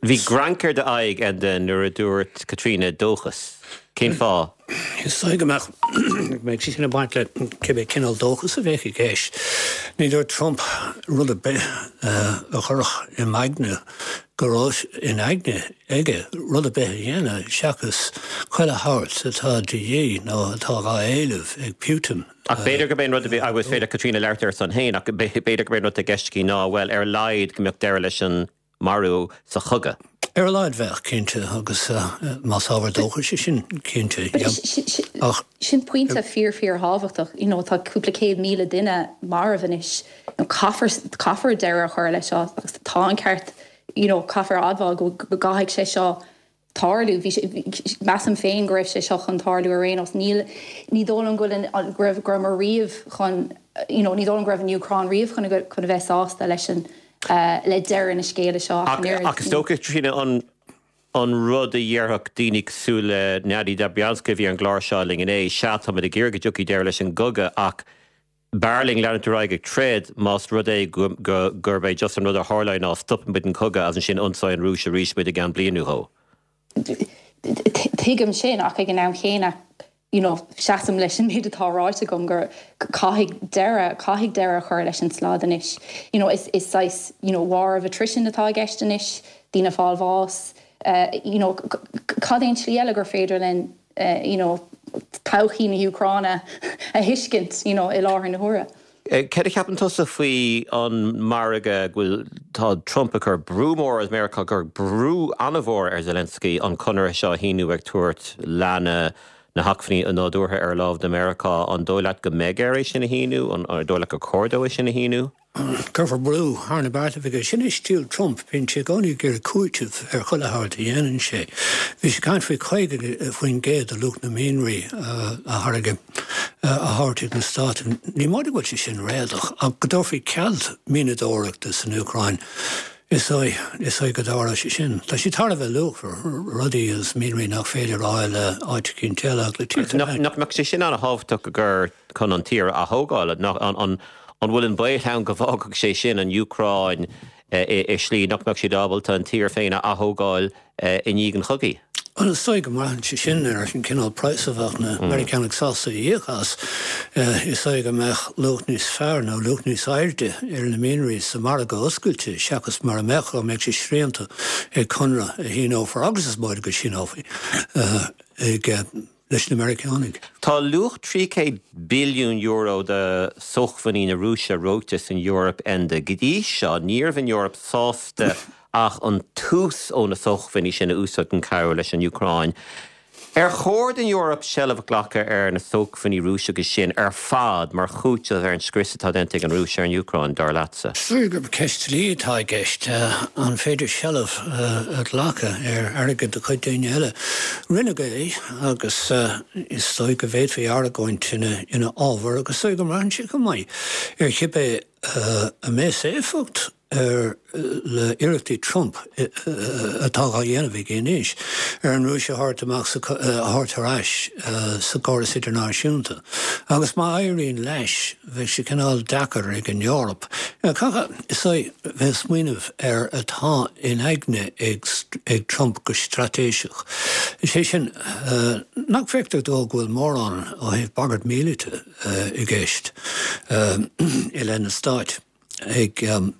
Bhí grainc ar d'aghaidh, Enda, nuair a dúirt Caitríona dóchas. Cén fáth? Is dóigh go mbeadh go mbeadh sé sin ag baint le cibé cineál dóchas a bheadh i gceist. Ní dúirt Trump rud ar bith a chuirfeadh i m'aigne go raibh in aigne aige rud ar bith a dhéanamh seachas chuile shórt atá de dhíth nó atá dhá éileamh ag Putin. Ach b'fhéidir gurb é an rud a bhí, agus is féidir le Caitríona labhairt ar a son féin, ach b'fhéidir gurb é an rud atá i gceist aici ná, bhuel, ar a laghad go mbeadh deireadh leis an marú sa chogadh. Ar a laghad bheadh, cinnte, agus más ábhar dóchais é sin, cinnte, yeah. Ach. Sin pointe fíor fíor thábhachtach, you know, tá cúpla 100,000 duine marbh anois, you know, caithfear, caithfear deireadh a chur leis seo agus tá an ceart, you know, caithfear a admháil go gcaithfidh sé seo tarlú. Bhí sé, measaim féin go raibh sé seo chun tarlú ar aon nós. Níl, ní dóigh liom go bhfuil an, go raibh, go rabhamar riamh chun, you know, ní dóigh liom go raibh an Úcráin riamh chun, chun a bheith sásta leis an, le deireadh na scéala seo ach an oiread. Ach is dócha, Caitríona, an, an rud a dhéarfadh daoine cosúil le Nadia Dobryanska a bhí ar an gclár seo linn inné, sea, táimid ag iarraidh go dtiocfaidh deireadh leis an gcogadh ach b'fhearr linn leanúint ar aghaidh ag troid más rud é gurb é just an rud a tharlóidh ná stopann muid an cogadh agus ansin ionsaíonn an Rúis arís muid i gceann bliain nó dhó. Tuigim sin ach ag an am chéanna you know seasaim leis an méid atá ráite agam gur caithfidh deireadh, caithfidh deireadh a chur leis an slad anois. You know is is saghas you know war of attrition atá i gceist anois, daoine ag fáil bháis, you know cad é an tslí eile gur féidir linn you know, todhchaí na hÚcráine a thuiscint, you know, i láthair na huaire. Céard a cheapann tusa faoi an margadh go bhfuil, tá Trump ag cur brú mór agus Meiriceá ag cur brú an-mhór ar Zelensky an conradh seo a shíniú ag tabhairt leath na. Na hacmhainní nádúrtha ar láimh do Mheiriceá, an dóigh leat go mbeidh air é sin a shíniú? An dóigh leat gur chóir dó é sin a shíniú? Cuirfear brú thar na beartaibh aige. Sin é stíl Trump, bíonn sé i gcónaí ag iarraidh cúiteamh ar chuile shórt a dhéanann sé. Bhí sé ag caint faoi 50% de luach na mianraí a tháirgeadh a thabhairt ag na Stáit. Ní móide go bhfuil sé sin réadach, ach go dtabharfaí cead mianadóireachta san Úcráin. Is dóigh, is dóigh go dtarlóidh sé sin. Tá sé thar a bheith luachmhar, rudaí agus mianraí nach féidir a fháil áit eicínt eile ach le tíortha eile. Nach mbeadh sé sin an-thábhachtach gur chun an tír a athógáil? An bhfuil an baol ann go bhfágfadh sé sin an Úcráin i slí nach mbeadh siad ábalta an tír féin a athógáil i ndiaidh an chogaidh. Bhuel, is dóigh go mbraitheann sé sin ar an cineál praghas a bheadh na Meiriceánaigh sásta a íoc as. Is dóigh go mbeadh luach níos fearr nó luach níos airde ar na mianraí sa mhargadh oscailte seachas mar a mbeadh dá mbeadh sé srianta ag conradh a shíneofar, agus is móide go síneofaí, ag. leis na Meiriceánaigh. Tá luach €300 billiún de shócmhainní na Rúise reoite san Eoraip, Enda. Go dtí seo, ní raibh an Eoraip sásta ach an t-ús ó na sócmhainní sin a úsáid chun cabhrú leis an Úcráin. Ar chóir don Eoraip seilbh a ghlacadh ar na sócmhainní Rúiseacha sin ar fad mar chúiteamh ar an scrios atá déanta ag an Rúis ar an Úcráin, dar leatsa? Is dóigh gurb ceist dlí atá i gceist. An féidir seilbh a ghlacadh ar airgead de chuid daoine eile? Rinneadh é agus is dóigh go bhféadfaí argóint ina fhábhar agus is dóigh go mbraitheann sé chomh maith ar chibé a mbeas éifeacht ar le iarrachtaí Trump atá á dhéanamh aige anois ar an Rúis a thabhairt amach sa a thabhairt ar ais sa gcóras idirnáisiúnta. Agus má éiríonn leis, bheadh sé cineál deacair ag an Eoraip. Caithfidh, is dóigh, bheith ag smaoineamh ar atá in aigne ag ag Trump go straitéiseach. Is é sin, nach bhfeictear dó go bhfuil mórán ó thaobh bagairt míleata i gceist i leith na Stáit. ag ag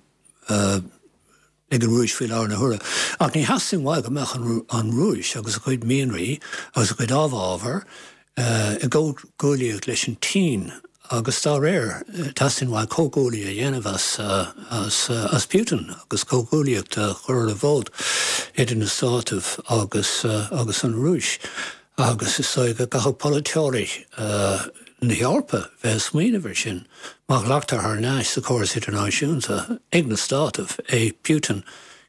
an Rúis faoi láthair na huaire. Ach ní theastaíonn uaidh go mbeadh an Rúis agus a cuid mianraí agus a cuid amhábhar i gcomhghuaillíocht leis an tSín agus dá réir teastaíonn uaidh comhghuaillí a dhéanamh as as as Putin agus comhghuaillíocht a chur ar an bhfód idir na Státaibh agus agus an Rúis. Agus is dóigh go gcaithfidh polaiteoirí na hEorpa bheith ag smaoineamh air sin má ghlactar thar n-ais sa chóras idirnáisiúnta ag na Státaibh é Putin,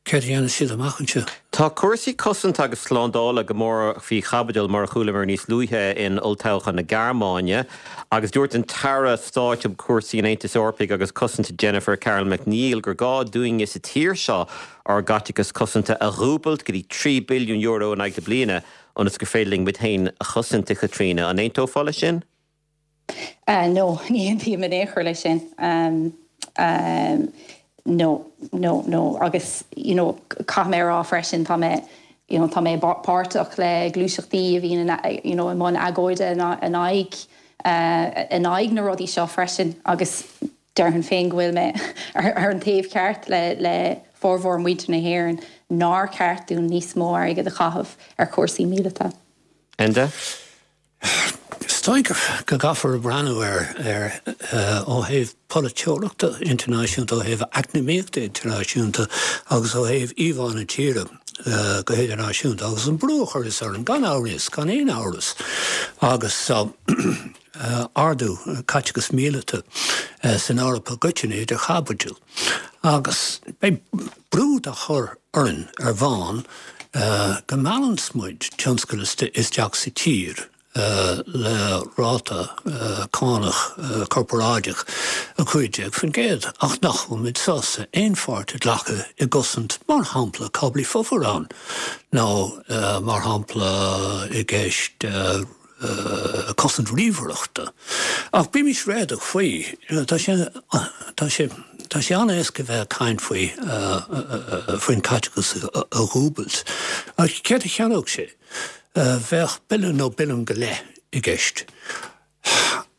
céard a dhéanfas siad amach anseo? Tá cúrsaí cosanta agus slándála go mór faoi chaibidil, mar a chualamar níos luaithe, in olltoghchán na Gearmáine agus dúirt an tAire Stáit um Chúrsaí an Aontais Eorpaigh agus Cosanta Jennifer Carroll MacNeill gur gá dúinne sa tír seo ár gcaiteachas cosanta a dhúbailt go dtí €3 billiún in aghaidh na bliana. ionas gur féidir linn muid féin a chosaint, a Chaitríona. An aontófá leis sin? No, ní aontaím in aon chor leis sin. No, no, no. Agus, you know, caithfidh mé a rá freisin, tá mé, you know, tá mé páirteach le gluaiseachtaí a bhíonn, you know, i mbun agóide in aghaidh, in aghaidh na rudaí seo freisin agus, Déarfainn féin go bhfuil mé ar an taobh ceart le formhór muintir na hÉireann nár cheart dúinn níos mó airgid a chaitheamh ar chúrsaí míleata. Enda? Is dóigh go gcaithfear breathnú air ó thaobh polaiteoireachta idirnáisiúnta, ó thaobh eacnamaíochta idirnáisiúnta agus ó thaobh íomhá na tíre go hidirnáisiúnta agus an brú a chuireas orainn, gan amhras, gan aon amhras. Agus. ardú caiteachas míleata san Eoraip i gcoitinne idir chaibidil agus beidh brú dá chur orainn ar bhonn go meallanns muid tionscal isteach sa tír le ráta cánach corparáideach 15% ach nach bhfuil muid sásta aon pháirt a ghlacadh i gcosaint mar shampla cáblaí fomhuireáin nó mar shampla i gceist cosaint ríomhaireachta. Ach bímis réadach faoi, tá sé, tá sé, tá sé an-éasca bheith ag caint faoi, faoin caiteachas a dhúbailt. Ach céard a cheannódh sé? Bheadh billiún nó billiún go leith i gceist.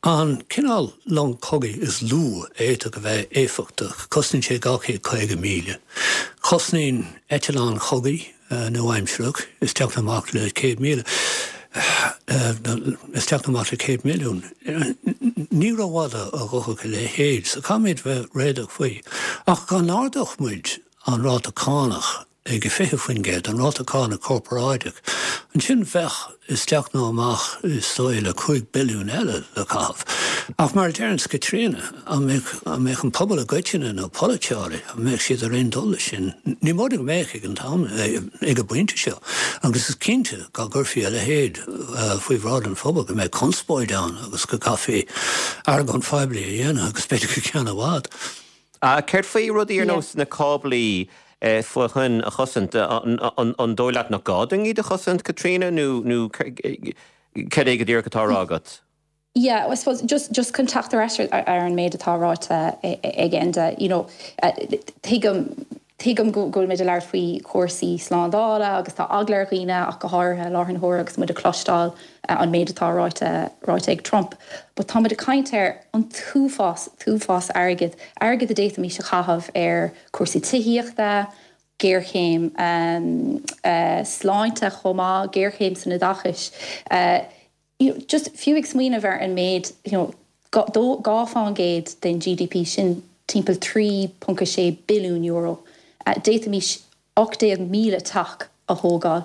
An cineál long cogaidh is lú a fhéadfadh a bheith éifeachtach, cosnaíonn sé 250 míle. Cosnaíonn eitleán chogaidh nua-aimsearach isteach nó amach le 100,000, isteach nó amach le 100 milliún. Ní rófhada a ghabhfadh a leithéid, so caithfimid bheith réadach faoi. Ach dá n-ardódh muid an ráta cánach ag 20%, an ráta cánach corparáideach. Ansin bheadh isteach nó amach is dóigh le 5 billiún eile le caitheamh. Ach mar a deireanns Caitríona, an mbeadh, an mbeadh an pobal i gcoitinne nó polaiteoirí, an mbeadh siad ar aon dul leis sin? Ní móide go mbeadh ag an t-am, ag an bpointe seo. Agus is cinnte dá gcuirfí a leithéid faoi bhráid an phobail go mbeadh conspóid ann agus go gcaithfí argóint phoiblí a dhéanamh agus b'fhéidir go ceann i bhfad. Céard faoi rudaí ar nós na cáblaí faoi thoinn a chosaint? An dóigh leat nach gá dúinn iad a chosaint, Caitríona, nó cad é go díreach atá á rá agat? Yeah, I suppose just just chun teacht ar ais ar an méid atá ráite ag Enda, you know, tuigim tuigim go bhfuil muid ag labhairt faoi chúrsaí slándála agus tá eagla ar dhaoine ach go háirithe i láthair na huaire agus muid ag cloisteáil an méid atá ráite ráite ag Trump. But tá muid ag caint ar an t-uafás, t-uafás airgid, airgead a d'fhéadfaimis a chaitheamh ar chúrsaí tithíochta, géarchéim sláinte chomh maith, géarchéim san oideachais. You know, just fiú ag smaoineamh ar an méid, you know, 2% den GDP, sin timpeall €3.6 billiún. D'fhéadfaimis 18,000 teach a thógáil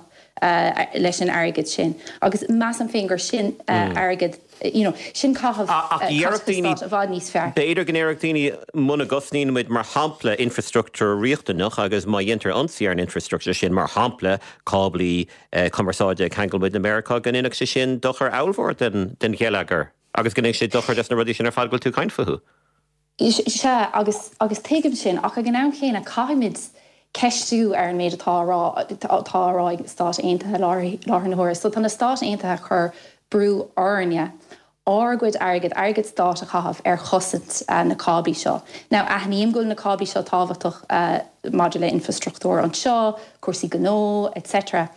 leis an airgead sin agus measaim féin gur sin airgead, you know, sin caitheamh caiteachas stáit i bhfad níos fearr. B'fhéidir go ndéarfadh daoine muna gcosnaíonn muid, mar shampla, infreastruchtúr riachtanach agus má dhéantar ionsaí ar an infreastruchtúr sin, mar shampla, cáblaí cumarsáide ag ceangal muid le Meiriceá, go ndéanfadh sé sin dochar ollmhór den gheilleagar agus go ndéanfadh sé dochar dos na rudaí sin ar fad go bhfuil tú ag caint fúthu. Sea, agus, agus tuigim sin, ach ag an am chéanna caithfimid ceistiú ar an méid atá á rá, atá á rá ag na Stáit Aontaithe i láthair na huaire. So tá na Stáit Aontaithe ag cur brú orainne ár gcuid airgid, airgead stáit a chaitheamh ar chosaint na cáblaí seo. Now, aithním go bhfuil na cáblaí seo tábhachtach maidir le infrastruchtúr anseo, cúrsaí gnó, etc.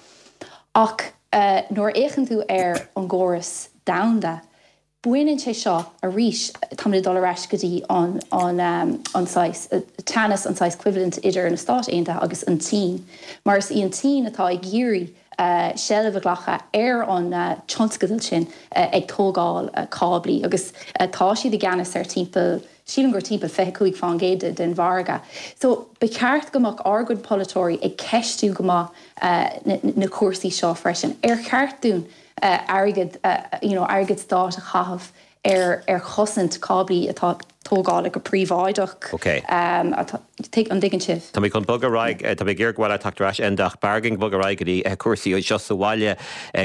Ach nuair a fhéachann tú ar an gcóras domhanda, Baineann sé seo arís, táimid ag dul ar ais go dtí an an saghas teannas, an saghas coimhlint idir na Stáit Aontaithe agus an tSín, mar is í an tSín atá ag iarraidh seilbh a ghlacadh ar an tionscadal sin ag tógáil cáblaí agus tá siad i gceannas ar timpeall, sílim gur timpeall 25% den mhargadh. So ba cheart go mbeadh ár gcuid polaiteoirí ag ceistiú go maith na cúrsaí seo freisin. Ar cheart dúinn airgead, you know, airgead stáit a chaitheamh ar ar chosaint cáblaí atá tógáilte go príobháideach. Ok. Atá, an dtuigeann sibh? Tá mé chun bogadh ar aghaidh, tá mé ag iarraidh go bhfuil teacht ar ais Enda ach b'fhearr againn bogadh ar aghaidh go dtí cúrsaí anseo sa bhaile.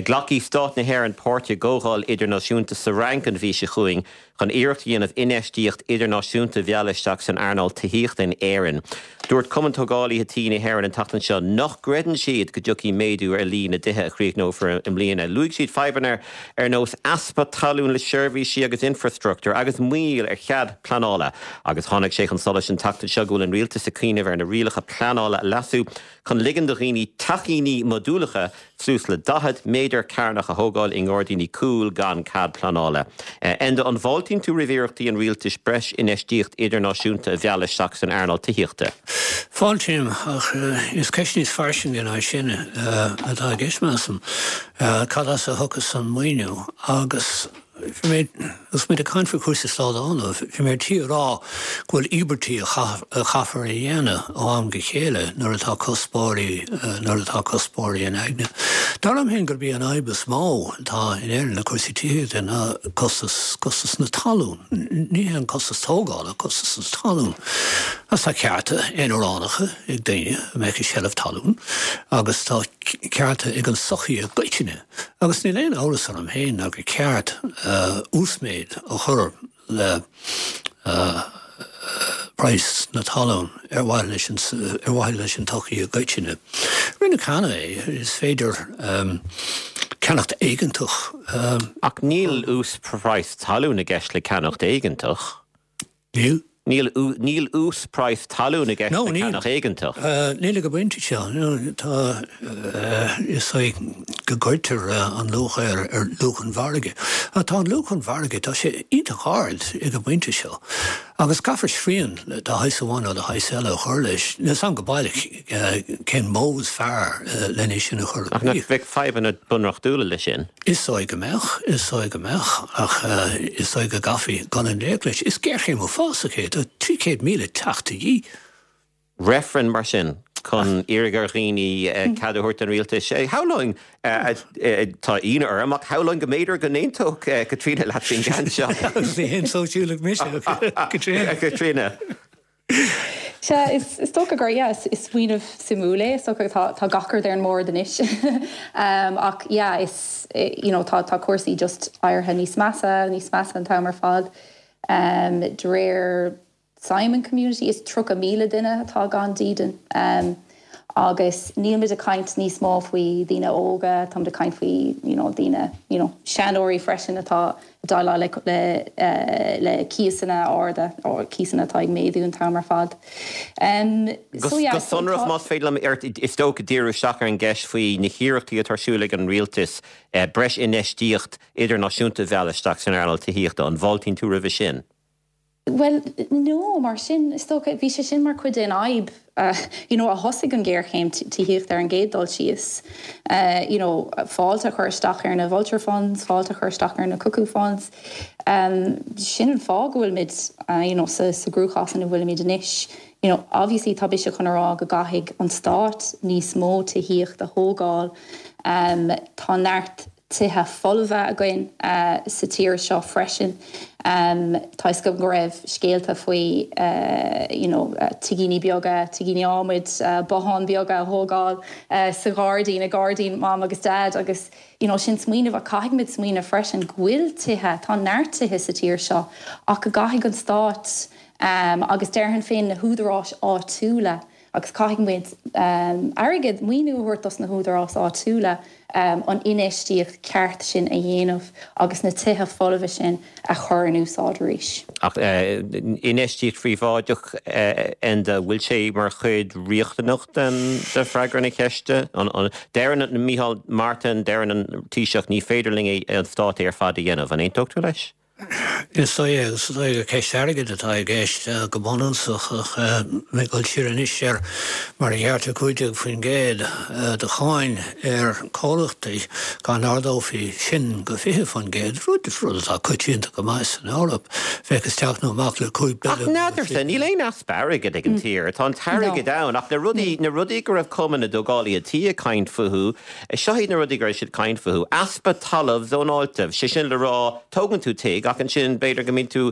Glacfaidh Stát na hÉireann páirt i gcomhdháil idirnáisiúnta sa Fhrainc an mhí seo chugainn chun iarracht a dhéanamh infheistíocht idirnáisiúnta a mhealladh isteach san earnáil tithíochta in Éirinn. Dúirt Cumann Tógálaithe Tí na hÉireann an tseachtain seo nach gcreideann siad go dtiocfaidh méadú ar líon na dtithe a chríochnófar i mbliana. Luaigh siad fadhbanna ar nós easpa talún le seirbhísí agus infreastruchtúr agus moill ar chead pleanála. Agus tháinig sé chun solais an tseachtain seo go bhfuil an rialtas ag cuimhneamh ar na rialacha pleanála a leasú chun ligean do dhaoine teachíní modúlacha suas le 40 méadar cearnach a thógáil i ngairdíní cúil gan cead pleanála. Enda, an bhfáiltíonn tú roimh iarrachtaí an rialtais breis infheistíocht idirnáisiúnta a mhealladh isteach san earnáil tithíochta? Fáiltím, ach is ceist níos fairsinge ná sin atá i gceist, measaim. Cad as a thiocfas an maoiniú? Agus. Bhí mé, agus muid ag caint faoi chúrsaí slándála, bhí mé ar tí a rá go bhfuil íobairtí a chaithfear a dhéanamh ó am go chéile nuair atá cuspóirí, nuair atá cuspóirí in aigne. Dar liom féin gurb í an fhadhb is mó atá in Éirinn le cúrsaí tithíochta ná costas, costas na talún. Ní hé an costas tógála, costas na talún. Agus tá cearta aonaránacha ag daoine a mbeadh i seilbh talún agus tá cearta ag an tsochaí i gcoitinne. Agus níl aon amhras orm féin ná gur ceart uasmhéid a chur le praghas na talún ar mhaithe leis an ar mhaithe leis an tsochaí i gcoitinne. Rinneadh cheana é, is féidir ceannacht éigeantach. Ach níl uasphraghas talún i gceist le ceannacht éigeantach. Níl. Níl, níl uasphraghas talún i gceist No, le níl. ceannach éigeantach. Níl ag an bpointe seo. Tá, is dóigh go gcuirtear an luach ar, ar luach an mhargaidh. Ach tá an luach an mhargaidh, tá sé iontach ard ag an bpointe seo. Agus caithfear srian de shaghas amháin nó de shaghas eile a chur leis. Níl 's a'm go baileach cén modh is fearr len é sin a chur i Ach nach gcrích. mbeadh fadhbanna bunreachtúla leis sin? Is dóigh go mbeadh, is dóigh go mbeadh, ach is dóigh go gcaithfí dul i ngleic leis. Is géarchéim uafásach é, tá 300,000 teach de dhíth. Reifreann mar sin? chun iarraidh ar dhaoine cead a thabhairt don rialtas. Shamhlóinn, tá ionadh orm, ach shamhlóinn go mb'fhéidir go n-aontódh Caitríona leat faoin gceann seo. Agus ní haon sóisialach mise, Caitríona. Caitríona. Sea, is dócha gur, yeah, is smaoineamh suimiúil é, is dócha tá tá gach rud ar an mbord anois. Ach yeah, is, you know, tá tá cúrsaí just éirithe níos measa, níos measa an t-am ar fad. De réir Simon Community, is 30,000 duine atá gan dídean. Agus nílmid ag caint níos mó faoi daoine óga, táimid ag caint faoi you know daoine you know seanóirí freisin atá ag déileáil le le le cíosanna arda, cíosanna atá ag méadú an t-am ar fad. So yeah, Go sonrach, más féidir liom, is dócha díriú isteach ar an gceist faoi na hiarrachtaí atá ar siúl ag an rialtas breis infheistíocht idirnáisiúnta a mhealladh isteach san earnáil tithíochta. An bhfáiltíonn tú roimhe sin? Bhuel, no, mar sin, is dócha, bhí sé sin mar chuid den fhadhb, you know, a thosaigh an ghéarchéim tithíochta ar an gcéad dul síos, you know, fáilte a chur isteach ar na vulture funds, fáilte a chur isteach ar na cuckoo funds. Sin an fáth go bhfuilimid, you know, sa sa gcruachás ina bhfuilimid anois. You know, obviously tá mise chun a rá go gcaithfidh an stát níos mó tithíocht a thógáil. Tá neart tithe folmha againn sa tír seo freisin. Tá fhios agam go raibh scéalta faoi you know tigíní beaga, tigíní adhmaid, botháin beaga a thógáil sa ghairdín, i ngairdín Mam agus Dad agus you know sin smaoineamh ach caithfidh muid smaoineamh freisin go bhfuil tithe, tá neart tithe sa tír seo ach go gcaithfidh an stát agus déarfainn féin na húdaráis áitiúla Agus caithfidh muid airgead, maoiniú a thabhairt dos na húdaráis áitiúla an infheistíocht ceart sin a dhéanamh agus na tithe folmha sin a chur in úsáid arís. Ach infheistíocht phríobháideach, Enda, bhfuil sé mar chuid riachtanach den freagra na ceiste? Deireann Micheál Martin, deireann an Taoiseach, ní féidir linn an stát é ar fad a dhéanamh. An aontódh tú leis? Is dóigh is dóigh gur ceist airgid atá i gceist go bunúsach ach mé ag dul siar anois ar mar a ghearrtar 15% de cháin ar chomhlachtaí, dá n-ardófaí sin go 20%, rud rud atá coitianta go maith san Eoraip, bheadh isteach nó amach le 5 Ach billiún n'fheadarsa, níl aon easpa airgid ag an tír. Tá an t-airgead ann ach na rudaí, na rudaí go raibh Cumann na dTógálaithe Tí ag caint fúthu, Seo iad na rudaí go raibh siad ag caint fúthu. Easpa talamh zónáilte, sé sin le rá, tógann tú tigh ach ansin b'fhéidir go mbíonn tú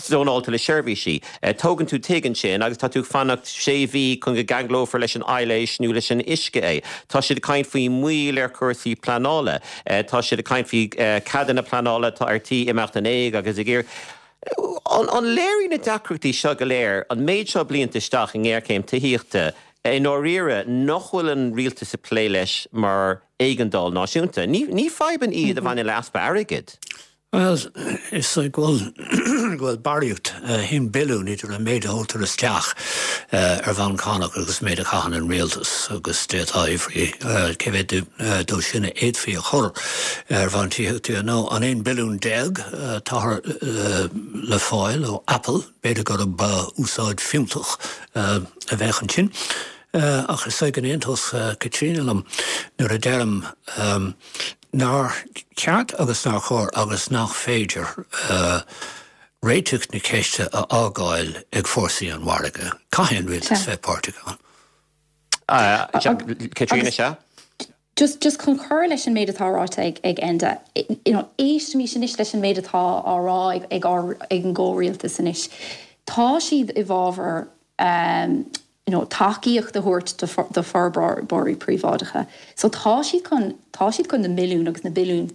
zónáilte le seirbhísí. Tógann tú tigh ansin agus tá tú ag fanacht sé mhí chun go gceanglófar leis an aibhléis nó leis an uisce é. Tá siad ag caint faoi mhoill ar chúrsaí pleanála. Tá siad ag caint faoi ceadanna pleanála atá ar tí imeacht in éag agus ag iarraidh. An léiríonn na deacrachtaí seo go léir, an méid seo blianta isteach i ngéarchéim tithíochta, i ndáiríre, nach bhfuil an rialtas ag plé leis mar éigeandáil náisiúnta? Ní fadhbanna iad a bhaineann le easpa airgid. Bhuel, is dóigh go bhfuil go bhfuil barraíocht, 1 billiún idir an méid a thógtar isteach ar bhonn cánach agus an méid a chaitheann an rialtas agus d'fhéadfá a fhiafraí cé mhéad dó sin a fhéadfaí a chur ar bhonn tithíochta nó an 11 billiún atáthar le fáil ó Apple, b'fhéidir gurb úsáid fiúntach a bheadh ansin. Ach is dóigh go n-aontódh Caitríona liom nuair a deirim nár cheart agus nár chóir agus nach féidir réiteach na ceiste a fhágáil ag fórsaí an mhargaidh. Caithfidh an rialtas bheith páirteach ann. Caitríona, sea? Just, just chun cur leis an méid atá ráite ag, ag Enda, you know, éistimis anois leis an méid atá á rá ag, ag ár, ag an gcomhrialtas anois. Tá siad i bhfabhar, you know, tacaíocht a thabhairt do, do forbróirí príobháideacha. So tá siad chun, tá siad chun na milliúin agus na billiúin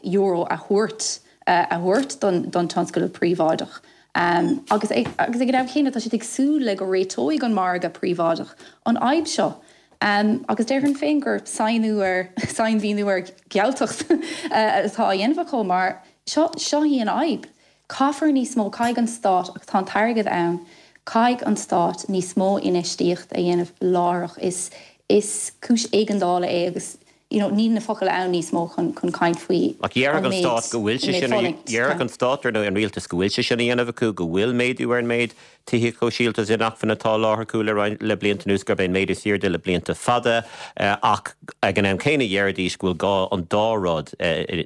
euro a thabhairt, a thabhairt don, don tionscal príobháideach. Agus ag, agus ag an am chéanna tá siad ag súil le go réiteoidh an margadh príobháideach an fhadhb seo. Agus déarfainn féin gur sainiú ar, sainmhíniú ar ghealtacht atá á dhéanamh acu mar seo, seo í an fhadhb. Caithfear níos mó, caithfidh an stát, agus tá an t-airgead ann, caithfidh an stát níos mó infheistíocht a dhéanamh láithreach. Is, is cúis éigeandála é agus you know níl na focail ann níos mó chun, chun caint faoi Ach déarfadh an an stát go bhfuil sé sin, déarfadh an stát ar ndóigh, an rialtas go bhfuil sé sin á dhéanamh acu, go bhfuil méadú ar an méid Tithíocht shóisialta is inacmhainne atá á sholáthar acu le roinnt le blianta anuas gurb é an méid is airde le blianta fada ach ag an am céanna déarfaidís go bhfuil gá an dá rud,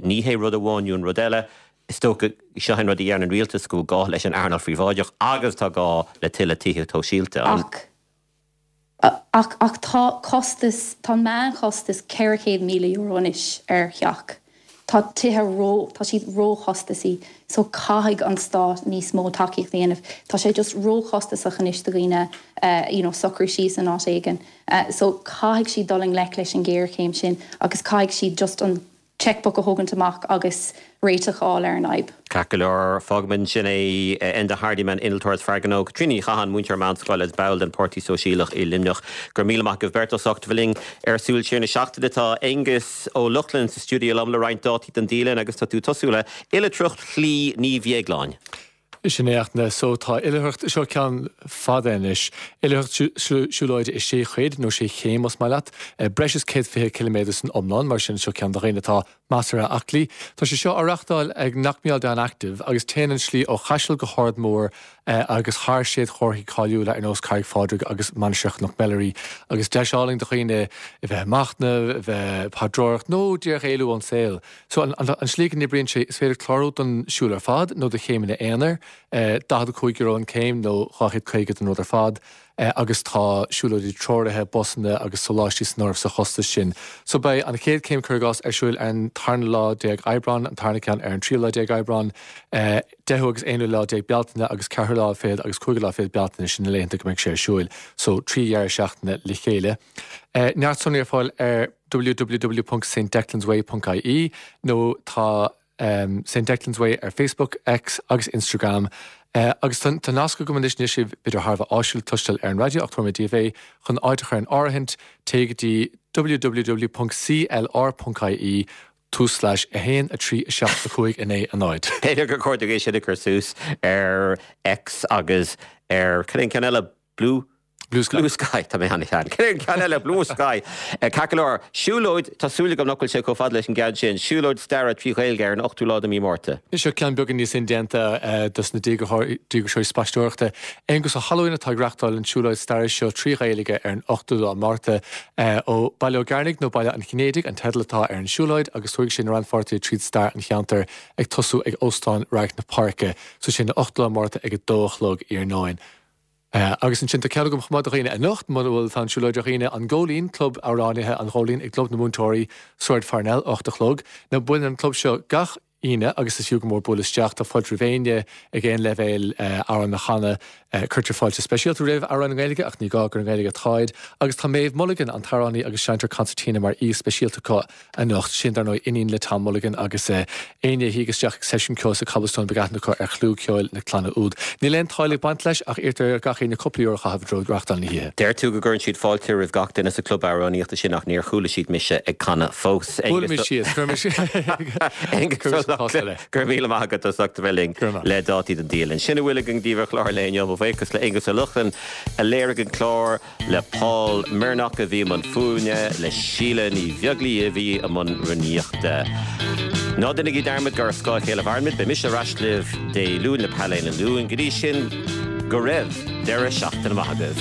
ní hé rud amháin nó an rud eile. Is dócha, seo an rud a deireann an rialtas, go bhfuil gá leis an earnáil phríobháideach agus tá gá le tuilleadh tithíocht shóisialta. Ach. Ach ach tá costas, tá an meánchostas €400,000 anois ar theach. Tá tithe ró, tá siad róchostasaí so caithfidh an stát níos mó tacaíocht a dhéanamh. Tá sé just róchostasach anois do dhaoine you know socrú síos in áit éigin. So caithfidh siad dul i ngleic leis an ghéarchéim sin agus caithfidh siad just an checkbook a thógaint amach agus réiteach a fháil ar an fhadhb. Ceart go leor, fágfaimid ansin é. Enda Hardiman, innealtóir is fear gnó, Caitríona Ní Chatháin, múinteoir meánscoile agus ball den Páirtí Sóisialach i Luimneach. Go raibh míle maith agaibh beirt as ucht a bheith linn ar Súil Siar na Seachtaine. Tá Aengus Ó Lochlainn sa stiúideo liom le roinnt dátaí don dialann agus tá tú ag tosú le Oilithreacht Shlí Naomh Dhéagláin. Sin é Fhachtna. So tá oilithreacht, seo ceann fada anois, oilithreacht siúlóide i sé chuid, nó sé chéim más maith leat, breis is 120 ciliméadar san iomlán, mar sin seo ceann do dhaoine atá measartha aclaí. Tá sé seo á reachtáil ag Knockmealdown Down Active agus téann an slí ó Chaiseal go hArd Mór agus thar séadchomharthaí cáiliúla ar nós Carraig Phádraig agus Mainistir Chnoc Meilearaí agus deis álainn do dhaoine a bheith ag machnamh, a bheith ag paidreoireacht nó díreach éalú ón saol. So, an slí go n-oibríonn sé, is féidir clárú don siúl ar fad nó do chéimeanna aonair, €45 an céim nó 250 don rud ar fad, agus tá siúlóidí treoraithe, busanna agus soláistí san áireamh sa chostas sin. So, beidh an chéad céim, cuir i gcás, ar siúl ar an tarna lá déag Aibreán, an tarna ceann ar an tríú lá déag Aibreán, deichiú agus aonú lá déag Bealtaine agus ceathrú lá fichead agus cúigiú lá fichead Bealtaine, sin na laethanta go mbeidh sé ar siúil. So, 3 dheireadh seachtaine le chéile. Neart sonraí ar fáil ar www.stdeclansway.ie nó tá St Declan's Way ar Facebook, X agus Instagram. Agus tá nasc agam anois, níl sé b'fhéidir thar a bheith áisiúil cloisteáil ar an raidió ach tabharfaidh mé daoibh é, chun áit a chur in áirithint, téigh go dtí www.clr.ie tús-slash 1 3 7 5 9 0. B'fhéidir gur chóir dúinn é sin a chur suas ar X agus ar, cad é an ceann eile, Blue? Blue Sky. Blue Sky, tá mé an-shean. Cad é an ceann eile? Blue Sky. Ceart go leor, siúlóid, tá súil agam nach bhfuil sé chomh fada leis an gceann sin, siúlóid staire 3 Ghaeilge ar an ochtú lá de mí Márta. Seo ceann beagán níos indéanta dos na díograiseoirí spaisteoireachta. Aonghus Ó hAlmhain atá ag reachtáil an tsiúlóid staire seo 3 Ghaeilge ar an ochtú lá Márta. Ó Baile Ó gCearnaigh nó Baile an Chinnéidigh an teideal atá ar an siúlóid agus tabharfaidh sé na rannpháirtithe tríd stair an cheantair ag tosú ag Óstán Radharc na Páirce. So sin an ochtú lá Márta ag a dó a chlog iarnóin. Agus ansin tá ceann agam chomh maith do dhaoine anocht, muna bhfuil fonn siúlóide ar dhaoine, An Góilín, Club Amhránaithe an Ghóilín i gClub na Múinteoirí, Sráid Pharnell, 8 a chlog. Now buaileann an club seo gach Aoine agus is fiú go mór bualadh isteach. Tá fáilte roimh éinne ag aon leibhéal amhrán a chanadh. Cuirtear fáilte speisialta roimh amhráin i nGaeilge ach ní gá gur i nGaeilge atáid. Agus tá Méabh Mulligan, an t-amhránaí agus seinnteoir concertina mar aoi speisialta acu. anocht. Sin, dar ndóigh, iníon le Tom Mulligan agus éinne a thig isteach ag seisiún ceoil sa Cobblestone beidh aithne acu ar chlú ceoil na clainne úd. Níl aon táille ag baint leis ach iarrtar ar gach éinne cúpla euro a chaitheamh i dtreo reachtáil na hoíche. Deir tú go gcuireann siad fáilte roimh gach duine sa club amhránaíochta sin ach níor chuala siad mise ag canadh fós. Buailfimid síos, cuirfimis Aengus Ó Lochlainn, go raibh míle maith agat as ucht a bheith linn le dátaí don dialann. Sin a bhfuil againn daoibh ar chlár an lae inniu. Mo bhuíochas le Aengus Ó Lochlainn a léirigh an clár. le Paul Mirnock a bhí i mbun fuaime, le Síle Ní Bheaglaoí a bhí i mbun rúnaíochta. Ná déanaigí dearmad gur ar scáth a chéile a mhairimid. Beidh mise ar ais libh Dé Luain le Painéal an Luain. Go dtí sin, go raibh deireadh seachtaine maith agaibh.